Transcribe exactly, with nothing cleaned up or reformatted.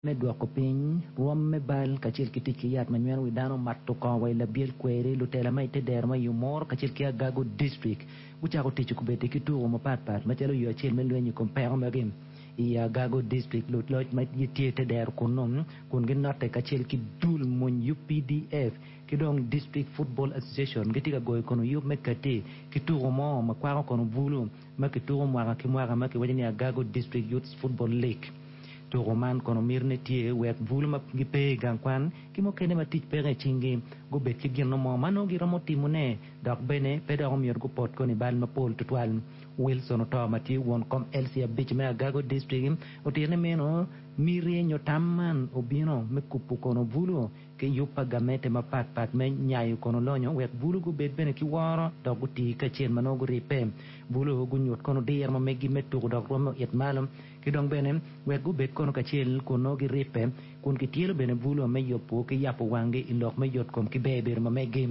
Me dwoko piny rwom me bal kacel ki tic ki yat ma nyweno wi dano mato kongo wa i labyel kweri lutela ma i te dero ma i Omoro kacel ki Agago District gucako tic kubedi ki tuko mapatpat macalo yo acel me lweny i kom peko magi i Agago District luloc ma gitye i te dero kunnu kun ginotte kacel ki dul mony U P D F ki dong District Football Association gitye ka goyo kono yub me kati ki tuko mo ma kwako kono bulu ma kituko mwaka ki mwaka ma kiwaco ni Agago District Youth Football League. Tuko man kono mitine tye wek bulu ma gipe i gang kwan ki mukene ma tic peke i cinggi gubed ki gin mo ma nongo giromo timone dok bene pe dok omyero gupot kono i bal mapol tutwal. Wilson Oto ma tye won kom L C abic me Agago District otito ni meno miti nyo tam man obino me kubo kono bulu ki yub pa gamente mapatpat me nyayo kono lonyo wek bulu gubed bene ki woro dok gutii kacel ma nongo guribbe bulu gunyut kono diro ma megi me tuko dok rwomme oit malo ki dong bene wek gubed kono kacel kun nongo giribbe kun kityelo bene bulu me yubo ki yabo wanggi i lok me yotkom ki ber bedo ma megi.